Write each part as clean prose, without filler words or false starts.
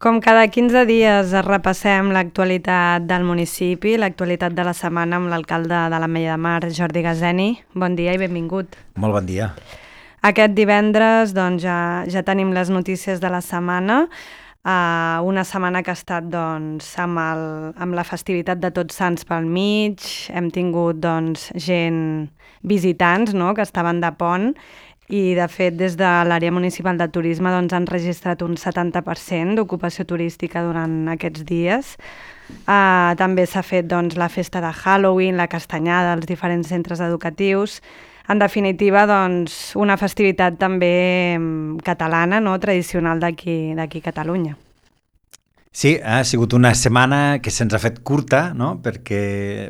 Com cada 15 dies repassem l'actualitat del municipi, l'actualitat de la setmana amb l'alcalde de l'Ametlla de Mar, Jordi Gazeni. Bon dia i benvingut. Molt bon dia. Aquest divendres ja tenim les notícies de la setmana, una setmana que ha estat amb la festivitat de Tots Sants pel mig, hem tingut gent visitants que estaven de pont. I, de fet, des de l'àrea municipal de turisme han registrat un 70% d'ocupació turística durant aquests dies. També s'ha fet la festa de Halloween, la castanyada als diferents centres educatius. En definitiva, una festivitat també catalana, tradicional d'aquí a Catalunya. Sí, ha sigut una setmana que se'ns ha fet curta, perquè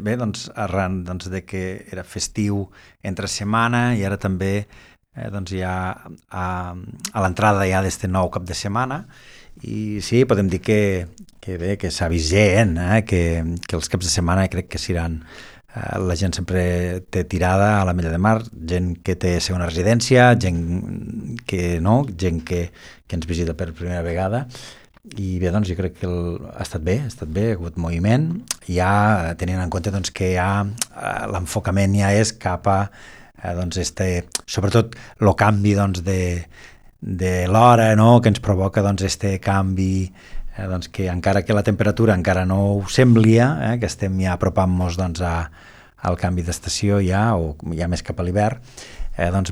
arran de que era festiu entre setmana i ara també ja a l'entrada d'aquest nou cap de setmana, i sí, podem dir que s'ha vist gent, que els caps de setmana crec que seran, la gent sempre té tirada a l'Ametlla de Mar, gent que té segona residència, gent que no, gent que ens visita per primera vegada, i bé, jo crec que ha estat bé, ha hagut moviment, ja tenint en compte que l'enfocament ja és cap a sobretot el canvi de l'hora, que ens provoca este canvi, que encara que la temperatura encara no ho semblia, que estem ja apropant-nos al canvi d'estació ja, o ja més cap a l'hivern,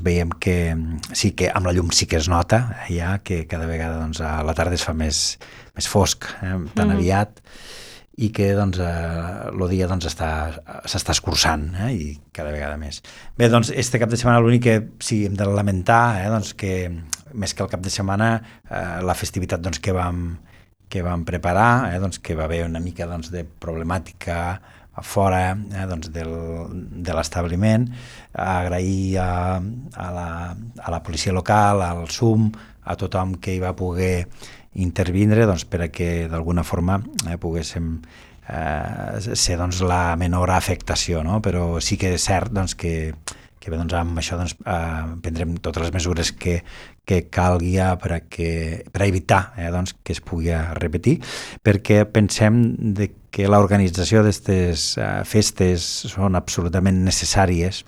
veiem que sí que amb la llum sí que es nota ja que cada vegada a la tarda es fa més fosc, tan aviat, i que el dia s'està escurçant, i cada vegada més. Bé, este cap de setmana l'únic que sí hem de lamentar, que més que el cap de setmana la festivitat que vam preparar, que va haver una mica de problemàtica a fora de l'establiment. Agrair a la policia local, al SUM, a tothom que hi va poder intervindre per a que d'alguna forma poguéssim ser la menor afectació, però sí que és cert que amb això prendrem totes les mesures que calgui per evitar que es pugui repetir, perquè pensem que l'organització d'aquestes festes són absolutament necessàries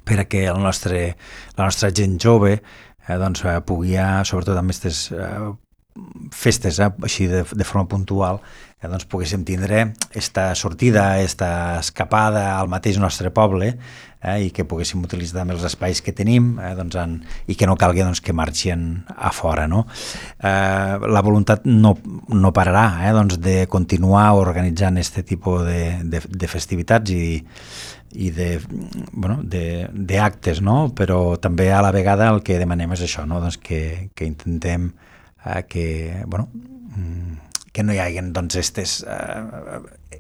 per a que la nostra gent jove pugui, sobretot amb aquestes festes així de forma puntual, poguéssim tindre aquesta sortida, aquesta escapada al mateix nostre poble, i que poguéssim utilitzar també els espais que tenim, i que no calgui que marxin a fora. La voluntat no pararà de continuar organitzant aquest tipus de festivitats i d'actes, però també a la vegada el que demanem és això, que intentem que no hi hagi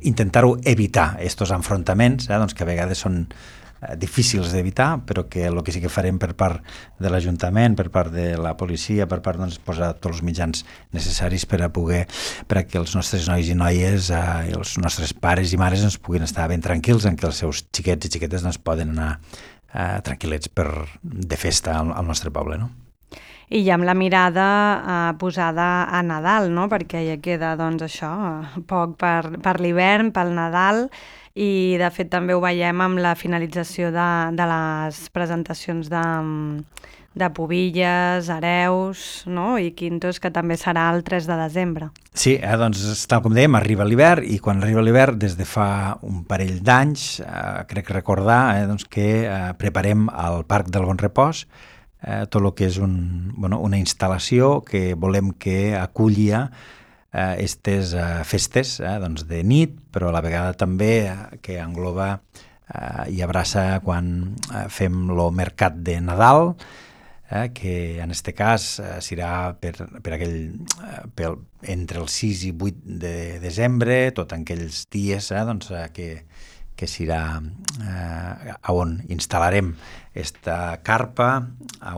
intentar-ho evitar, aquests enfrontaments que a vegades són difícils d'evitar, però que el que sí que farem per part de l'Ajuntament, per part de la policia, per part posar tots els mitjans necessaris per a que els nostres nois i noies i els nostres pares i mares puguin estar ben tranquils, en què els seus xiquets i xiquetes poden anar tranquil·lets de festa al nostre poble, I ja amb la mirada posada a Nadal, perquè ja queda poc per l'hivern, pel Nadal, i de fet també ho veiem amb la finalització de les presentacions de pubilles, hereus i quintos, que també serà el 3 de desembre. Sí, tal com dèiem, arriba l'hivern, i quan arriba l'hivern, des de fa un parell d'anys, crec recordar que preparem al Parc del Bon Repòs tot el que és una instal·lació que volem que aculli aquestes festes de nit, però a la vegada també que engloba i abraça quan fem el mercat de Nadal, que en aquest cas serà entre el 6 i 8 de desembre, tot en aquells dies que serà on instal·larem aquesta carpa,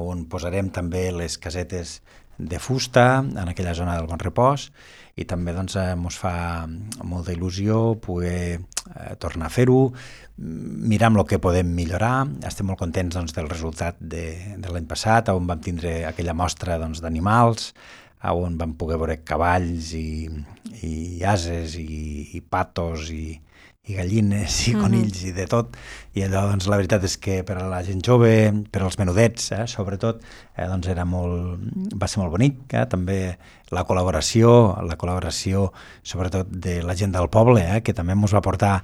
on posarem també les casetes de fusta en aquella zona del Bon Repòs, i també ens fa molta il·lusió poder tornar a fer-ho, mirar amb el que podem millorar. Estem molt contents del resultat de l'any passat, on vam tindre aquella mostra d'animals on vam poder veure cavalls i ases i patos i gallines i conills i de tot, i allò doncs la veritat és que per a la gent jove, per als menudets sobretot, doncs va ser molt bonic, també la col·laboració sobretot de la gent del poble, que també ens va portar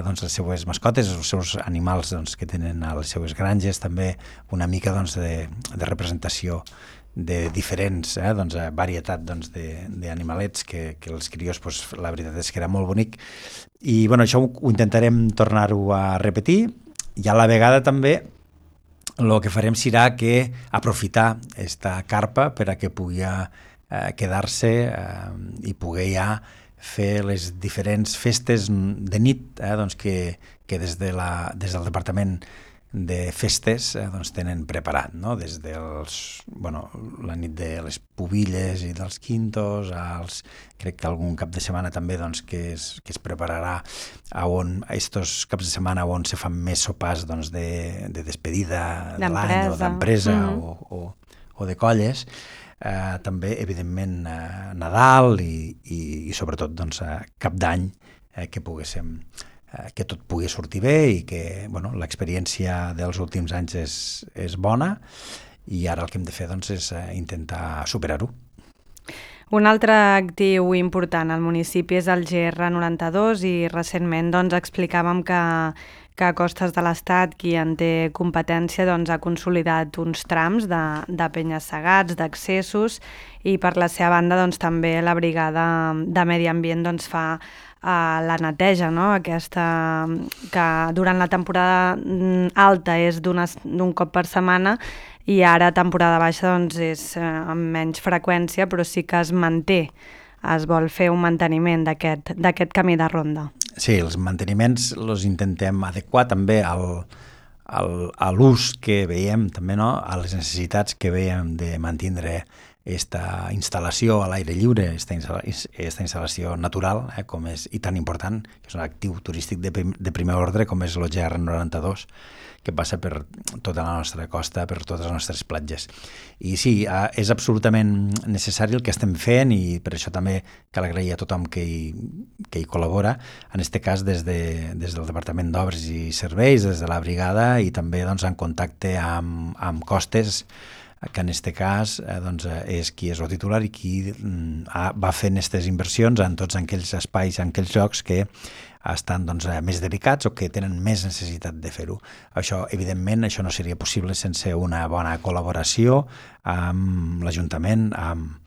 doncs les seues mascotes, els seus animals doncs, que tenen a les seues granges, també una mica doncs, de representació de diferents doncs, varietat doncs, d'animalets que els crios, doncs, la veritat és que era molt bonic, i bueno, això ho intentarem tornar-ho a repetir, i a la vegada també el que farem serà que aprofitar aquesta carpa per a que pugui quedar-se i poder ja fer les diferents festes de nit doncs que des del Departament de Festes doncs tenen preparat, no? Des la nit de les pubilles i dels quintos, crec que algun cap de setmana també doncs, que es prepararà estos caps de setmana on se fan més sopars doncs, de despedida de l'any o d'empresa o de colles. També, evidentment, Nadal i sobretot doncs, cap d'any que tot pugui sortir bé i que l'experiència dels últims anys és bona, i ara el que hem de fer doncs, és intentar superar-ho. Un altre actiu important al municipi és el GR92 i recentment doncs, explicàvem que Costes de l'Estat, qui en té competència, doncs, ha consolidat uns trams de penya-segats, d'accessos, i per la seva banda doncs, també la brigada de Medi Ambient doncs, fa la neteja, no? Aquesta que durant la temporada alta és d'un cop per setmana, i ara temporada baixa doncs, és amb menys freqüència, però sí que es manté. Es vol fer un manteniment d'aquest camí de ronda. Sí, els manteniments els intentem adequar també a l'ús que veiem, també, no? A les necessitats que veiem de mantindre aquesta instal·lació a l'aire lliure, aquesta instal·lació natural, com és, i tan important, que és un actiu turístic de primer ordre, com és el GR92, que passa per tota la nostra costa, per totes les nostres platges. I sí, és absolutament necessari el que estem fent, i per això també cal agrair a tothom que hi col·labora, en aquest cas des del Departament d'Obres i Serveis, des de la brigada, i també doncs, en contacte amb Costes, que en aquest cas doncs, és qui és el titular i qui va fent aquestes inversions en tots aquells espais, en aquells llocs que estan doncs, més delicats o que tenen més necessitat de fer-ho. Això, evidentment, això no seria possible sense una bona col·laboració amb l'Ajuntament, amb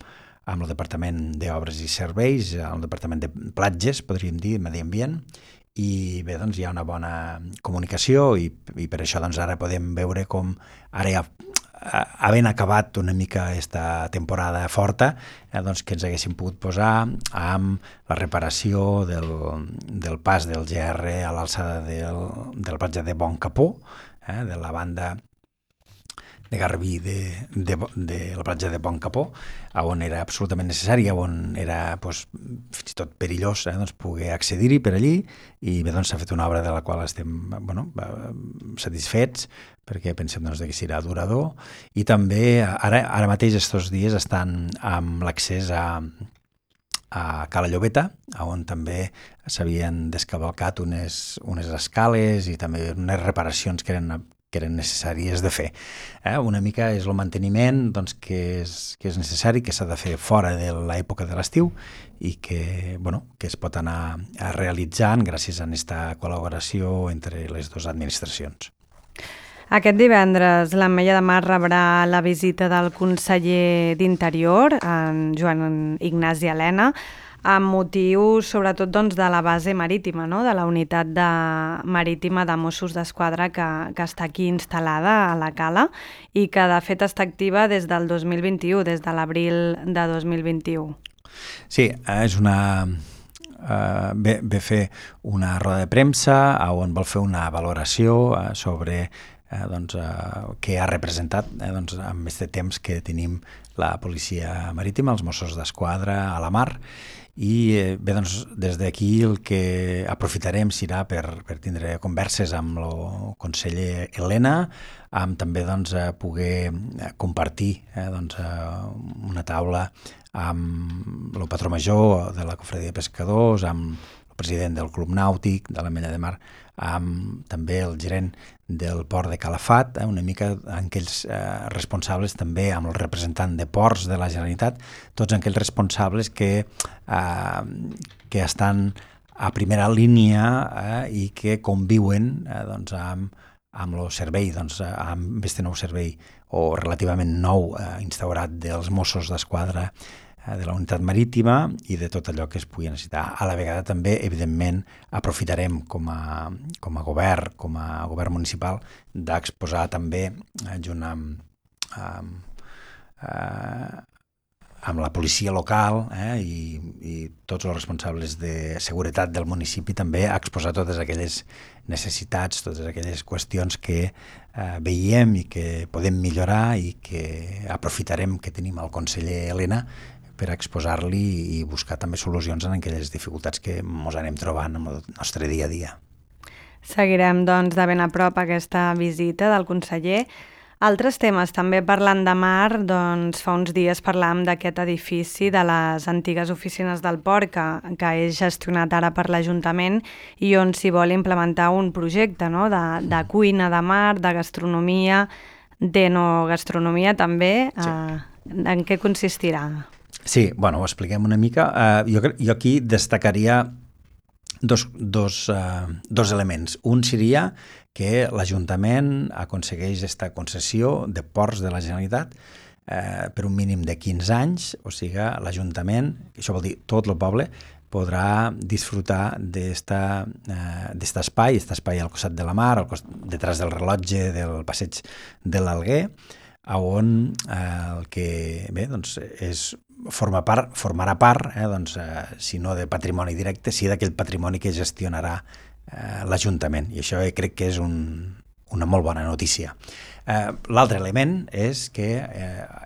el Departament d'Obres i Serveis, el Departament de Platges, podríem dir, Medi Ambient, i bé, doncs hi ha una bona comunicació i per això doncs, ara podem veure com ara ja havent acabat una mica aquesta temporada forta, doncs que ens haguéssim pogut posar amb la reparació del pas del GR a l'alçada del platja de Bon Capó, de la banda de Garbí de la platja de Bon Capó, on era absolutament necessari, on era fins i tot perillós doncs, poder accedir-hi per allí, i bé, doncs s'ha fet una obra de la qual estem satisfets, perquè pensem doncs, que serà durador, i també ara mateix estos dies estan amb l'accés a Cala Llobeta, on també s'havien descavalcat unes escales i també unes reparacions que eren necessàries de fer. Una mica és el manteniment doncs, que és necessari, que s'ha de fer fora de l'època de l'estiu i que es pot anar realitzant gràcies a aquesta col·laboració entre les dues administracions. Aquest divendres l'Ametlla de Mar rebrà la visita del conseller d'Interior, en Joan Ignasi Elena, amb motiu sobretot doncs, de la base marítima, no? De la unitat marítima de Mossos d'Esquadra que està aquí instal·lada a la Cala i que de fet està activa des del 2021, des de l'abril de 2021. Sí, és ve fer una roda de premsa on vol fer una valoració sobre què ha representat amb aquest temps que tenim la policia marítima, els Mossos d'Esquadra a la mar, I bé, doncs, des d'aquí el que aprofitarem serà per tindre converses amb el conseller Elena, amb també doncs, poder compartir doncs, una taula amb el patró major de la Cofradia de Pescadors, amb el president del Club Nàutic de l'Ametlla de Mar, amb també el gerent del port de Calafat, una mica aquells responsables també amb el representant de ports de la Generalitat, tots aquells responsables que estan a primera línia i que conviuen doncs, amb el servei, doncs, amb aquest nou servei o relativament nou instaurat dels Mossos d'Esquadra de la unitat marítima i de tot allò que es pugui necessitar. A la vegada també, evidentment, aprofitarem com a govern municipal, d'exposar també, junt amb la policia local i tots els responsables de seguretat del municipi, també a exposar totes aquelles necessitats, totes aquelles qüestions que veiem i que podem millorar i que aprofitarem que tenim el conseller Elena per exposar-li i buscar també solucions en aquelles dificultats que ens anem trobant en el nostre dia a dia. Seguirem, doncs, de ben a prop aquesta visita del conseller. Altres temes, també parlant de mar, doncs fa uns dies parlàvem d'aquest edifici de les antigues oficines del port que és gestionat ara per l'Ajuntament i on s'hi vol implementar un projecte, no?, de cuina de mar, de gastronomia, d'enogastronomia també. Sí. En què consistirà? Sí, bueno, ho expliquem una mica. Jo aquí destacaria dos elements. Un seria que l'Ajuntament aconsegueix aquesta concessió de ports de la Generalitat per un mínim de 15 anys, o sigui, l'Ajuntament, això vol dir tot el poble, podrà disfrutar d'aquest espai al costat de la mar, detrás del rellotge del passeig de l'Alguer, on el que bé, doncs formarà part, doncs, si no de patrimoni directe, sí d'aquell patrimoni que gestionarà l'Ajuntament, i això crec que és una molt bona notícia. L'altre element és que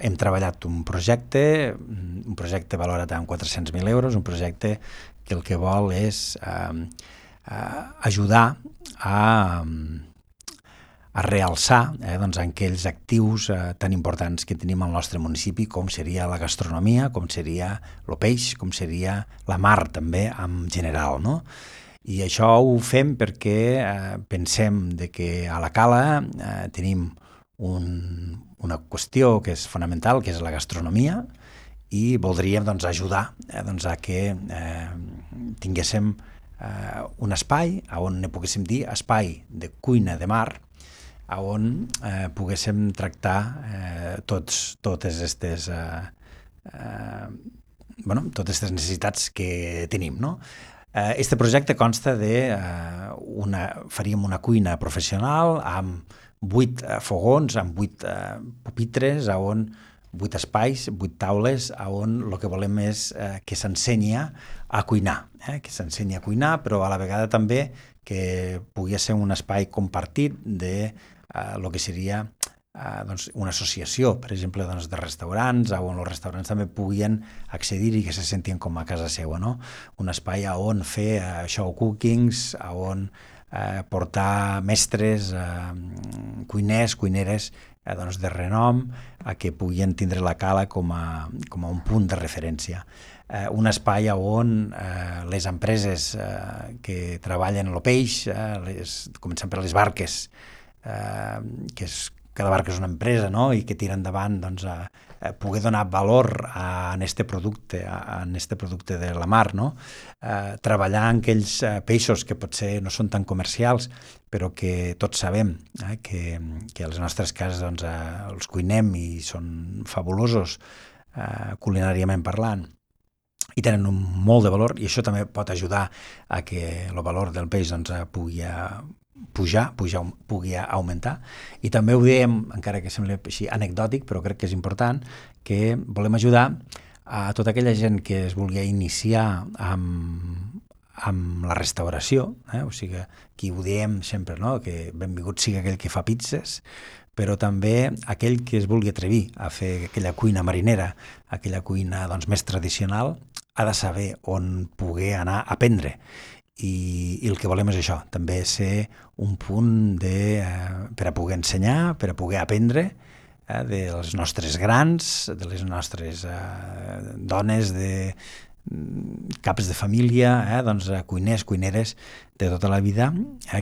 hem treballat un projecte valorat en 400.000 euros, un projecte que el que vol és ajudar a realçar doncs, aquells actius tan importants que tenim al nostre municipi, com seria la gastronomia, com seria el peix, com seria la mar també en general, no? I això ho fem perquè pensem que a la Cala tenim una qüestió que és fonamental, que és la gastronomia, i voldríem doncs, ajudar a que tinguéssim un espai on ne poguéssim dir espai de cuina de mar, on poguéssim tractar totes aquestes necessitats que tenim, no? Este projecte consta faríem una cuina professional amb 8 fogons, amb 8 pupitres, 8 espais, 8 taules, on el que volem és que s'ensenyi a cuinar, però a la vegada també que pugui ser un espai compartit de el que seria una associació, per exemple, de restaurants, on els restaurants també puguin accedir i que se sentien com a casa seva, no? Un espai on fer show cookings, on portar mestres, cuiners, cuineres de renom, que puguin tindre la Cala com a un punt de referència. Un espai on les empreses que treballen el peix, començant per les barques, cada barca és una empresa, no?, i que tira endavant poder donar valor a este producte de la mar, no? Treballar en aquells peixos que potser no són tan comercials, però que tots sabem que a les nostres cases els cuinem i són fabulosos culinàriament parlant, i tenen molt de valor, i això també pot ajudar a que el valor del peix pugui augmentar. I també ho diem, encara que sembla així anecdòtic, però crec que és important, que volem ajudar a tota aquella gent que es vulgui iniciar amb la restauració, o sigui, aquí ho diem sempre, no?, que benvingut sigui aquell que fa pizzas, però també aquell que es vulgui atrevir a fer aquella cuina marinera, aquella cuina més tradicional, ha de saber on poder anar a aprendre. I el que volem és això, també ser un punt per a poder ensenyar, per a poder aprendre dels nostres grans, de les nostres dones, de caps de família, doncs, cuiners, cuineres de tota la vida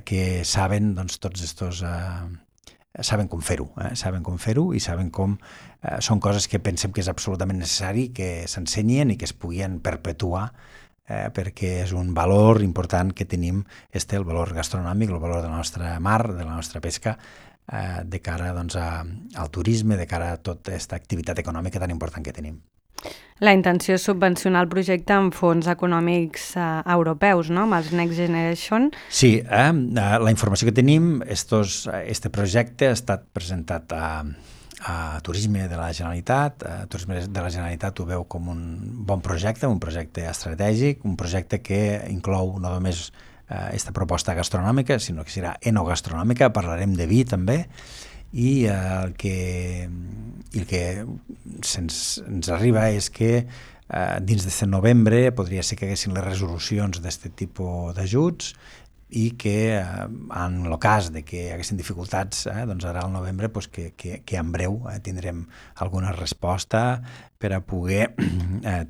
que saben doncs, tots estos... saben com fer-ho, saben com fer-ho i saben com... són coses que pensem que és absolutament necessari que s'ensenyen i que es puguin perpetuar perquè és un valor important que tenim, el valor gastronòmic, el valor de la nostra mar, de la nostra pesca, de cara doncs, al turisme, de cara a tota aquesta activitat econòmica tan important que tenim. La intenció és subvencionar el projecte amb fons econòmics europeus, no?, amb els Next Generation. Sí, la informació que tenim, este projecte ha estat presentat a Turisme de la Generalitat. Turisme de la Generalitat ho veu com un bon projecte, un projecte estratègic, un projecte que inclou no només aquesta proposta gastronòmica, sinó que serà enogastronòmica, parlarem de vi també, i el que ens arriba és que dins d'aquest novembre podria ser que haguessin les resolucions d'aquest tipus d'ajuts i que en el cas de que hi haguessin dificultats, doncs ara al novembre que en breu tindrem alguna resposta per a poder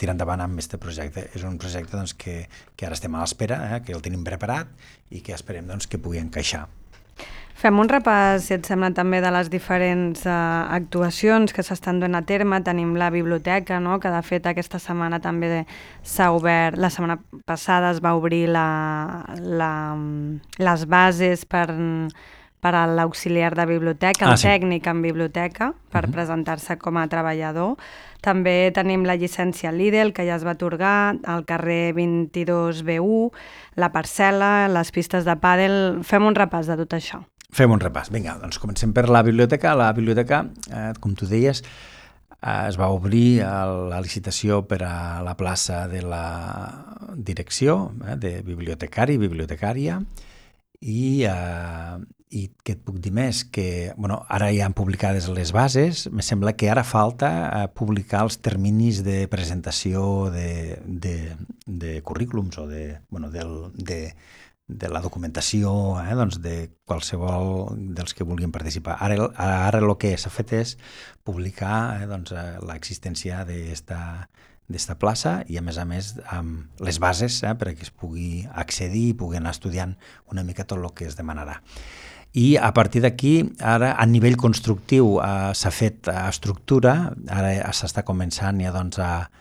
tirar endavant amb aquest projecte. És un projecte doncs, que ara estem a l'espera, que el tenim preparat i que esperem doncs, que pugui encaixar. Fem un repàs, si et sembla, també de les diferents actuacions que s'estan duent a terme. Tenim la biblioteca, no?, que de fet aquesta setmana també s'ha obert, la setmana passada es va obrir les bases per a l'auxiliar de biblioteca, el tècnic en biblioteca, per presentar-se com a treballador. També tenim la llicència Lidl, que ja es va atorgar, al carrer 22B1, la parcel·la, les pistes de pàdel. Fem un repàs de tot això. Fem un repàs. Vinga, doncs comencem per la biblioteca. La biblioteca, com tu deies, es va obrir la licitació per a la plaça de la direcció de bibliotecari, bibliotecària, i què et puc dir més? Que ara ja han publicades les bases, me sembla que ara falta publicar els terminis de presentació de currículums o de la documentació doncs de qualsevol dels que vulguin participar. Ara el que s'ha fet és publicar doncs, l'existència d'esta plaça i a més amb les bases perquè es pugui accedir i pugui anar estudiant una mica tot el que es demanarà. I a partir d'aquí, ara a nivell constructiu s'ha fet estructura, ara s'està començant ja doncs a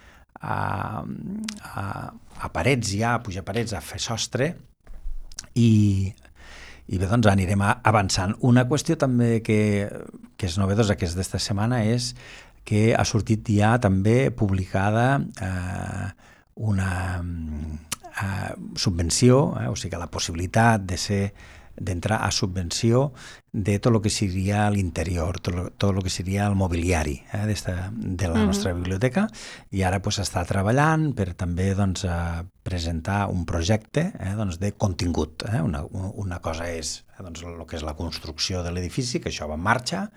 parets ja, a pujar parets, a fer sostre, i bé, doncs anirem avançant. Una qüestió també que és novedosa, que és d'esta setmana, és que ha sortit ja també publicada una subvenció, o sigui, la possibilitat d'entrar a subvenció de tot el que seria l'interior, tot el que seria el mobiliari de la nostra biblioteca, i ara s'està treballant per també presentar un projecte de contingut. Una cosa és el que és la construcció de l'edifici, que això va en marxa,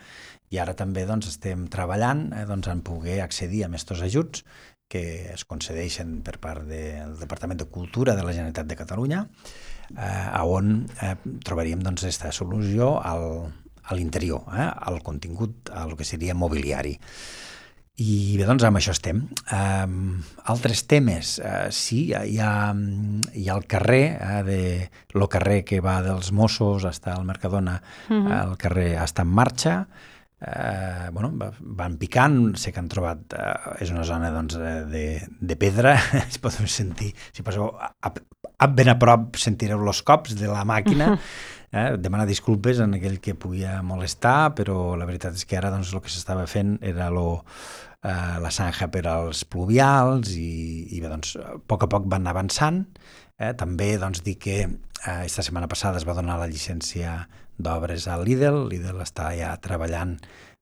i ara també estem treballant en poder accedir a aquests ajuts que es concedeixen per part del Departament de Cultura de la Generalitat de Catalunya, on trobaríem aquesta solució a l'interior, al contingut, al que seria mobiliari. I bé, doncs amb això estem. Altres temes, sí, hi ha el carrer, el carrer que va dels Mossos fins al Mercadona, el carrer està en marxa, van picant, sé que han trobat, és una zona de pedra, es podeu sentir, si passeu ben a prop sentireu els cops de la màquina, demanar disculpes en aquell que podia molestar, però la veritat és que ara el que s'estava fent era la zanja per als pluvials i bé, a poc van avançant. També dir que aquesta setmana passada es va donar la llicència d'obres a Lidl està ja treballant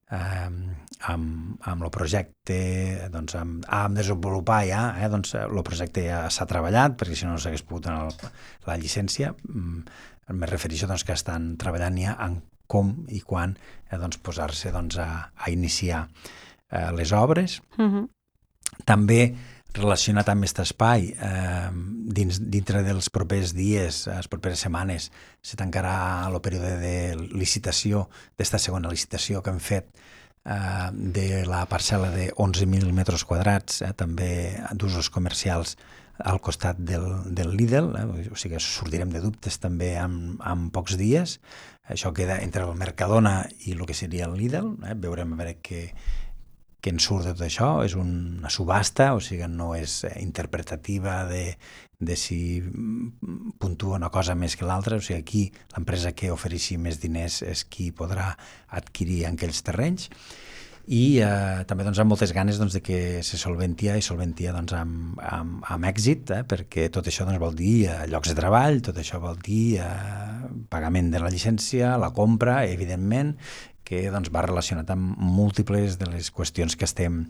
amb el projecte, amb desenvolupar ja, el projecte ja s'ha treballat, perquè si no s'hagués pogut donar la llicència. Me refereixo que estan treballant ja en com i quan posar-se a iniciar les obres. També relacionat amb aquest espai, dintre dels propers dies, les properes setmanes, se tancarà el període de licitació, d'esta segona licitació que hem fet, de la parcel·la de 11.000 metres quadrats, també d'usos comercials al costat del Lidl, o sigui que sortirem de dubtes també en pocs dies. Això queda entre el Mercadona i el que seria el Lidl, veurem a veure què en surt de tot això. És una subhasta, o sigui que no és interpretativa de si puntua una cosa més que l'altra, o sigui aquí l'empresa que ofereixi més diners és qui podrà adquirir aquells terrenys. I també amb moltes ganes de que se solventia amb èxit, perquè tot això vol dir llocs de treball, tot això vol dir pagament de la llicència, la compra, evidentment, que va relacionat amb múltiples de les qüestions que estem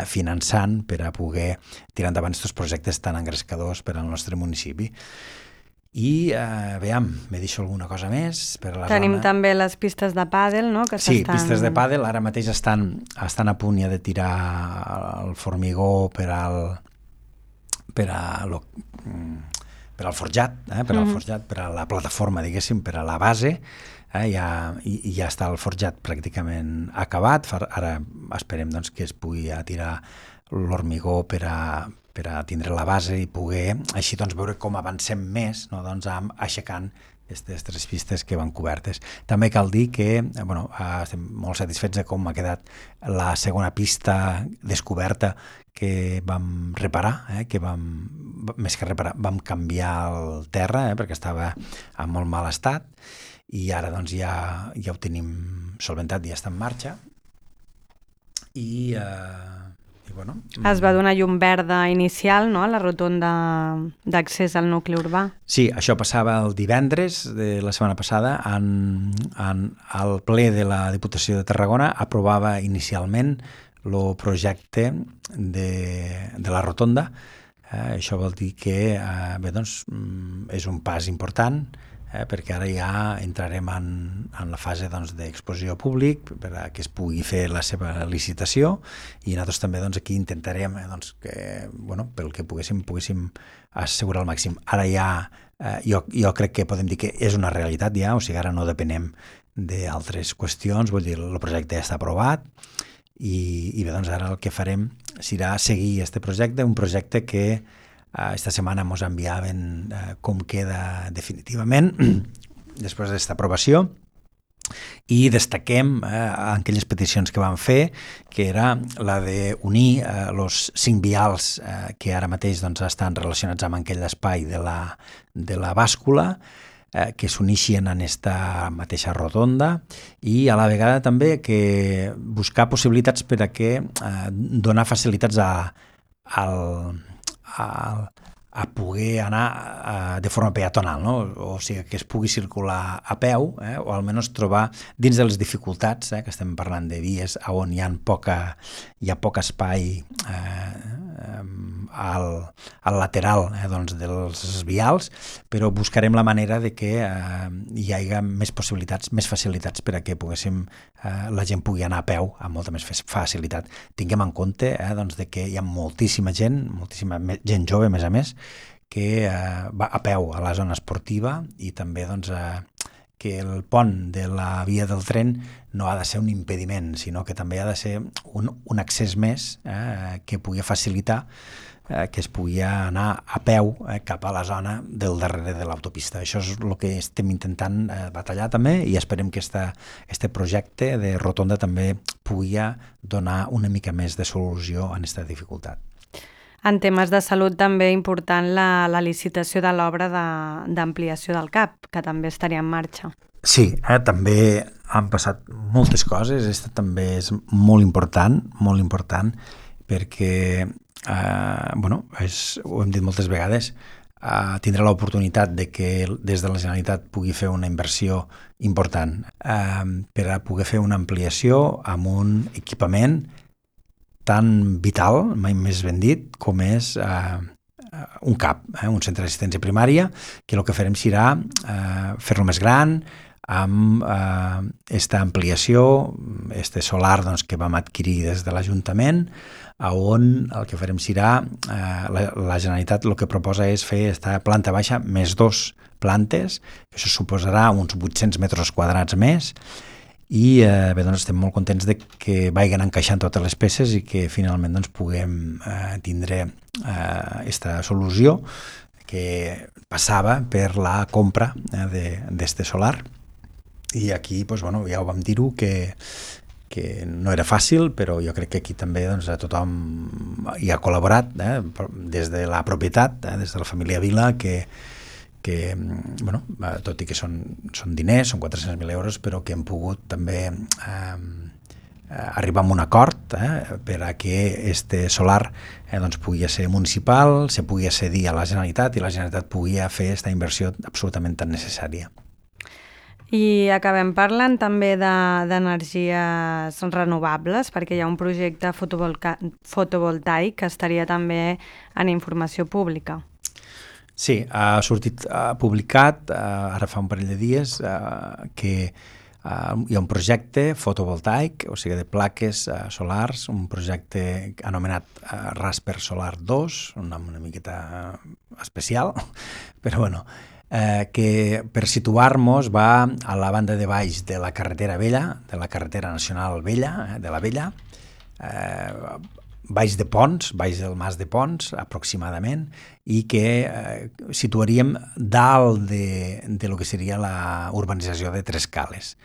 finançant per a poder tirar endavant aquests projectes tan engrescadors per al nostre municipi. I, veiem, me deixo alguna cosa més per a la Tenim zona. també les pistes de pàdel, no? Que Sí, pistes de pàdel, ara mateix estan a punt ja de tirar el formigó per al forjat, per a la plataforma, diguéssim, per a la base, ja està el forjat pràcticament acabat. Ara esperem que es pugui tirar l'hormigó per a tindre la base i poder així veure com avancem més, aixecant aquestes 3 pistes que van cobertes. També cal dir que estem molt satisfets de com ha quedat la segona pista descoberta que vam reparar, més que reparar, vam canviar el terra perquè estava en molt mal estat i ara ja ho tenim solventat, ja està en marxa i es va donar llum verda inicial, no?, a la rotonda d'accés al nucli urbà. Sí, això passava el divendres de la setmana passada. El ple de la Diputació de Tarragona aprovava inicialment el projecte de la rotonda. Això vol dir que és un pas important, perquè ara ja entrarem en la fase d'exposició públic per a que es pugui fer la seva licitació i nosaltres també aquí intentarem que, pel que poguéssim assegurar al màxim. Ara ja jo crec que podem dir que és una realitat ja, o sigui, ara no depenem d'altres qüestions, vull dir, el projecte ja està aprovat i bé, ara el que farem serà seguir aquest projecte, un projecte que esta setmana ens enviaven com queda definitivament després d'aquesta aprovació i destaquem aquelles peticions que vam fer, que era la d'unir els 5 vials que ara mateix estan relacionats amb aquell espai de la bàscula, que s'unixien en aquesta mateixa rotonda i a la vegada també que buscar possibilitats per a que donar facilitats a poder anar de forma peatonal, no? O sigui, que es pugui circular a peu, o almenys trobar dins de les dificultats, que estem parlant de vies on hi ha poc espai al lateral dels vials, però buscarem la manera de que hi hagi més possibilitats, més facilitats per a que la gent pugui anar a peu amb molta més facilitat. Tinguem en compte de que hi ha moltíssima gent jove, a més, que va a peu a la zona esportiva i també que el pont de la via del tren no ha de ser un impediment, sinó que també ha de ser un accés més que pugui facilitar que es pugui anar a peu cap a la zona del darrere de l'autopista. Això és el que estem intentant batallar també i esperem que este projecte de rotonda també pugui donar una mica més de solució a aquesta dificultat. En temes de salut també important la licitació de l'obra d'ampliació del CAP, que també estaria en marxa. Sí, també han passat moltes coses, aquesta també és molt important perquè, ho hem dit moltes vegades, tindrà l'oportunitat de que des de la Generalitat pugui fer una inversió important per a poder fer una ampliació amb un equipament tan vital, mai més ben dit, com és un CAP, un centre d'assistència primària, que el que farem serà fer-lo més gran, amb esta ampliació, este solar doncs, que vam adquirir des de l'Ajuntament, on el que farem serà, la Generalitat el que proposa és fer esta planta baixa més 2 plantes, que això suposarà uns 800 metres quadrats més, i bé, doncs estem molt contents de que vagin encaixant totes les peces i que finalment doncs, puguem tindre aquesta solució que passava per la compra d'este solar. I aquí doncs, bueno, ja ho vam dir-ho que no era fàcil, però jo crec que aquí també doncs, tothom hi ha col·laborat, des de la propietat, des de la família Vila, que bueno, tot i que són diners, són 400.000 euros, però que hem pogut també arribar a un acord per a que este solar doncs, pugui ser municipal, se pugui cedir a la Generalitat i la Generalitat pugui fer aquesta inversió absolutament tan necessària. I acabem parlant també d'energies renovables, perquè hi ha un projecte fotovoltaic que estaria també en informació pública. Sí, ha sortit publicat ara fa un parell de dies que hi ha un projecte fotovoltaic, o sigui de plaques solars, un projecte anomenat Rasper Solar 2, un nom una miqueta especial, però bueno, que per situar-nos va a la banda de baix de la carretera vella, de la carretera nacional vella, de la vella, baix de Ponts, baix del Mas de Ponts, aproximadament, i que situaríem dalt de lo que seria la urbanització de Tres Cales.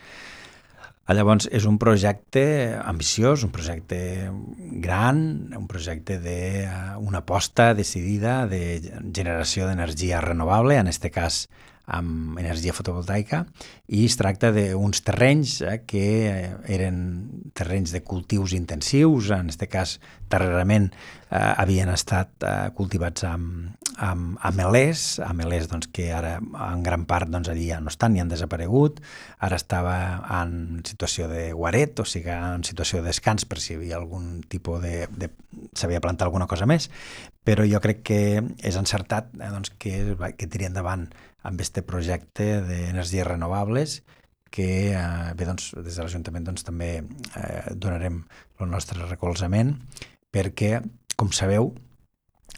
Llavors, és un projecte ambiciós, un projecte gran, un projecte d'una aposta decidida de generació d'energia renovable, en aquest cas amb energia fotovoltaica, i es tracta d'uns terrenys que eren terrenys de cultius intensius, en aquest cas darrerament havien estat cultivats amb amelers doncs, que ara en gran part doncs, allí ja no estan ni han desaparegut, ara estava en situació de guaret, o sigui en situació de descans per si hi havia algun tipus s'havia plantat alguna cosa més, però jo crec que és encertat doncs, que tiri endavant amb aquest projecte d'energies renovables que bé, doncs, des de l'Ajuntament doncs, també donarem el nostre recolzament perquè, com sabeu,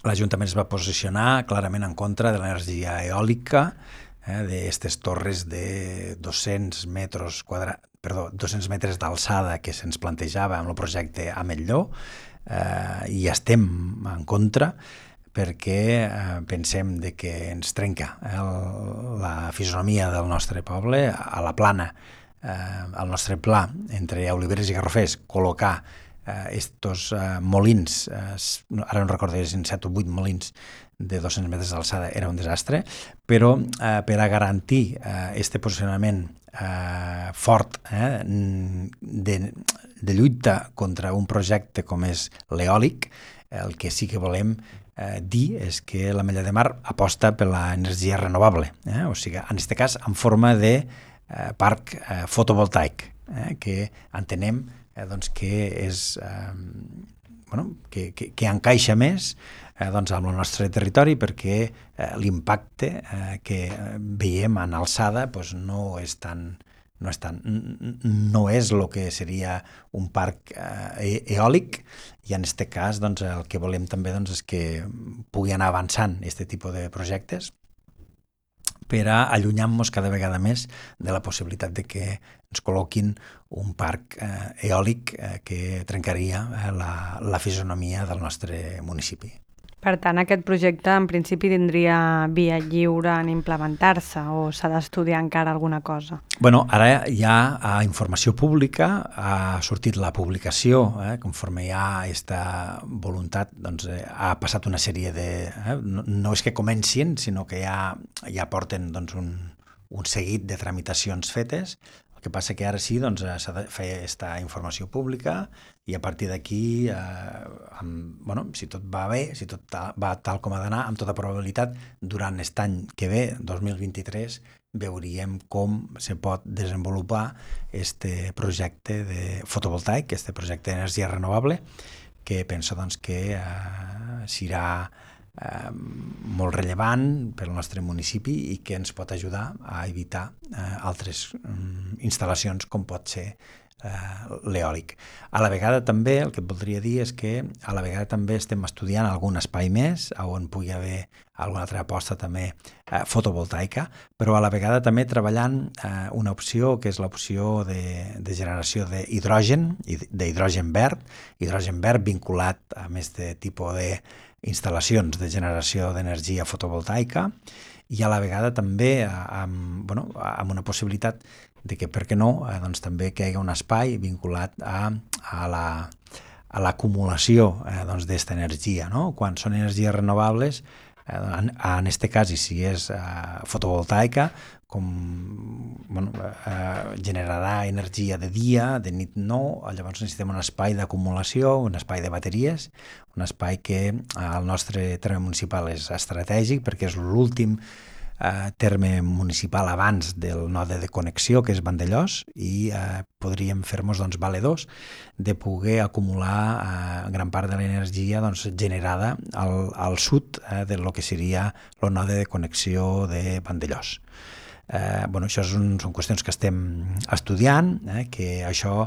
l'Ajuntament es va posicionar clarament en contra de l'energia eòlica d'aquestes torres de 200 metres d'alçada que se'ns plantejava amb el projecte a Metlló, i estem en contra perquè pensem que ens trenca la fisonomia del nostre poble. A la Plana, al nostre pla, entre Oliveres i Garrofers, col·locar estos molins, ara no recordo si 7 o 8 molins de 200 metres d'alçada era un desastre, però per a garantir este posicionament fort de lluita contra un projecte com és l'eòlic, el que sí que volem dir és que l'Ametlla de Mar aposta per l'energia renovable, o sigui, en aquest cas en forma de parc fotovoltaic, que entenem doncs, que és que encaixa més doncs, amb el nostre territori perquè l'impacte que veiem en alçada doncs, no és el que seria un parc eòlic, i en aquest cas doncs, el que volem també doncs, és que pugui anar avançant aquest tipus de projectes per a allunyar-nos cada vegada més de la possibilitat de que ens col·loquin un parc eòlic que trencaria la fisonomia del nostre municipi. Per tant, aquest projecte en principi tindria via lliure en implementar-se o s'ha d'estudiar encara alguna cosa? Bueno, ara ja a informació pública ha sortit la publicació, conforme hi ha aquesta voluntat, doncs ha passat una sèrie de... no és que comencin, sinó que ja porten doncs, un seguit de tramitacions fetes. El que passa que ara sí, doncs, s'ha de fer aquesta informació pública i a partir d'aquí, si tot va bé, si tot va tal com ha d'anar, amb tota probabilitat, durant aquest any que ve, 2023, veuríem com se pot desenvolupar aquest projecte de fotovoltaic, aquest projecte d'energia renovable, que penso doncs, que serà molt rellevant per al nostre municipi i que ens pot ajudar a evitar altres instal·lacions com pot ser l'eòlic. A la vegada també, el que et voldria dir és que a la vegada també estem estudiant algun espai més on pugui haver alguna altra aposta també fotovoltaica, però a la vegada també treballant una opció que és l'opció de generació d'hidrogen, d'hidrogen verd vinculat a més de tipus d'instal·lacions de generació d'energia fotovoltaica i a la vegada també amb una possibilitat de que, per què no, doncs també que hi hagi un espai vinculat a l'acumulació d'esta energia, no? Quan són energies renovables, en aquest cas, i si és fotovoltaica, generarà energia de dia, de nit no, llavors necessitem un espai d'acumulació, un espai de bateries, un espai que al nostre terme municipal és estratègic perquè és l'últim terme municipal abans del node de connexió, que és Vandellòs, i podríem fer-nos valedors de poder acumular gran part de l'energia generada al sud del que seria el node de connexió de Vandellòs. Això són qüestions que estem estudiant, que això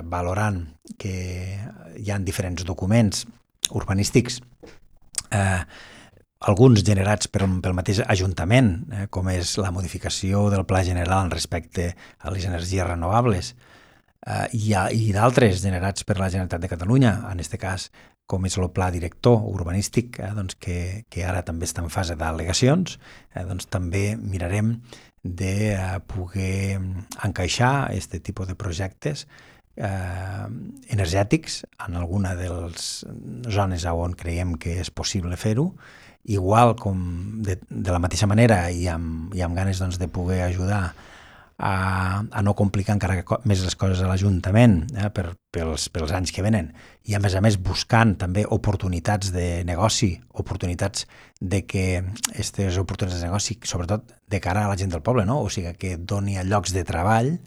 valorant que hi ha diferents documents urbanístics alguns generats pel mateix Ajuntament, com és la modificació del Pla General respecte a les energies renovables, i d'altres generats per la Generalitat de Catalunya, en aquest cas com és el Pla Director Urbanístic, que ara també està en fase d'al·legacions, també mirarem de poder encaixar aquest tipus de projectes energètics en alguna de les zones on creiem que és possible fer-ho, igual com de la mateixa manera i amb ganes de poder ajudar a no complicar encara més les coses a l'Ajuntament pels anys que venen i a més buscant també oportunitats de negoci, oportunitats de que aquestes oportunitats de negoci, sobretot de cara a la gent del poble, no? O sigui que doni llocs de treball.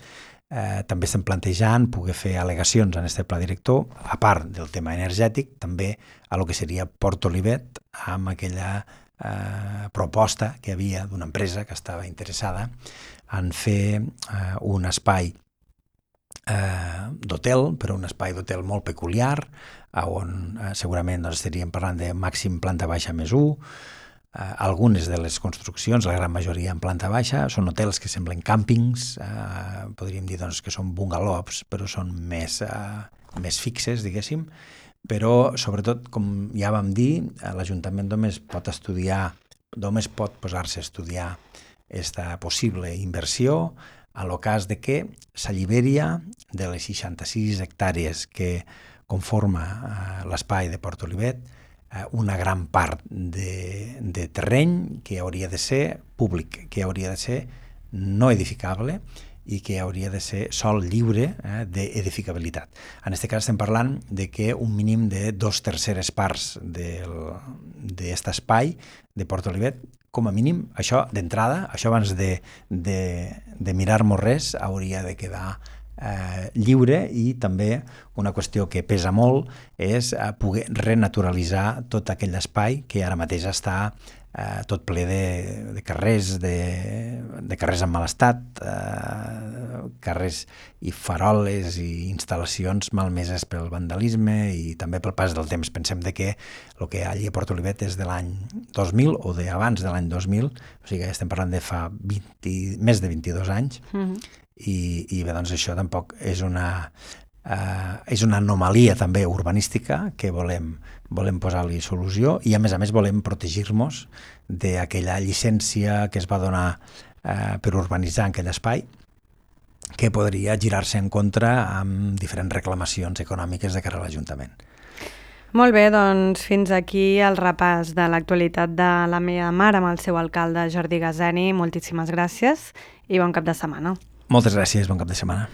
També estem plantejant poder fer al·legacions en aquest pla director, a part del tema energètic, també a lo que seria Port Olivet, amb aquella proposta que hi havia d'una empresa que estava interessada en fer un espai d'hotel, però un espai d'hotel molt peculiar, on segurament estaríem parlant de màxim planta baixa més 1. Algunes de les construccions, la gran majoria en planta baixa, són hotels que semblen càmpings, podríem dir que són bungalows, però són més fixes, diguéssim, però sobretot, com ja vam dir, l'Ajuntament només pot posar-se a estudiar aquesta possible inversió en el cas de que s'alliberia de les 66 hectàrees que conforma l'espai de Port Olivet una gran part de terreny que hauria de ser públic, que hauria de ser no edificable i que hauria de ser sòl lliure d'edificabilitat. En aquest cas estem parlant de que un mínim de 2/3 parts d'aquest espai de Port Olivet, com a mínim, això d'entrada, això abans de mirar-nos res, hauria de quedar lliure, i també una qüestió que pesa molt és poder renaturalitzar tot aquell espai que ara mateix està tot ple de carrers, de carrers en mal estat, carrers i faroles i instal·lacions malmeses pel vandalisme i també pel pas del temps. Pensem que el que allí a Port Olivet és de l'any 2000 o d'abans de l'any 2000, o sigui que estem parlant de fa més de 22 anys, i bé, doncs això tampoc és una anomalia també urbanística que volem posar-li solució, i a més volem protegir-nos d'aquella llicència que es va donar per urbanitzar en aquell espai, que podria girar-se en contra amb diferents reclamacions econòmiques de cara a l'Ajuntament. Molt bé, doncs fins aquí el repàs de l'actualitat de la meva mar amb el seu alcalde Jordi Gazeni. Moltíssimes gràcies i bon cap de setmana. Moltes gràcies, bon cap de setmana.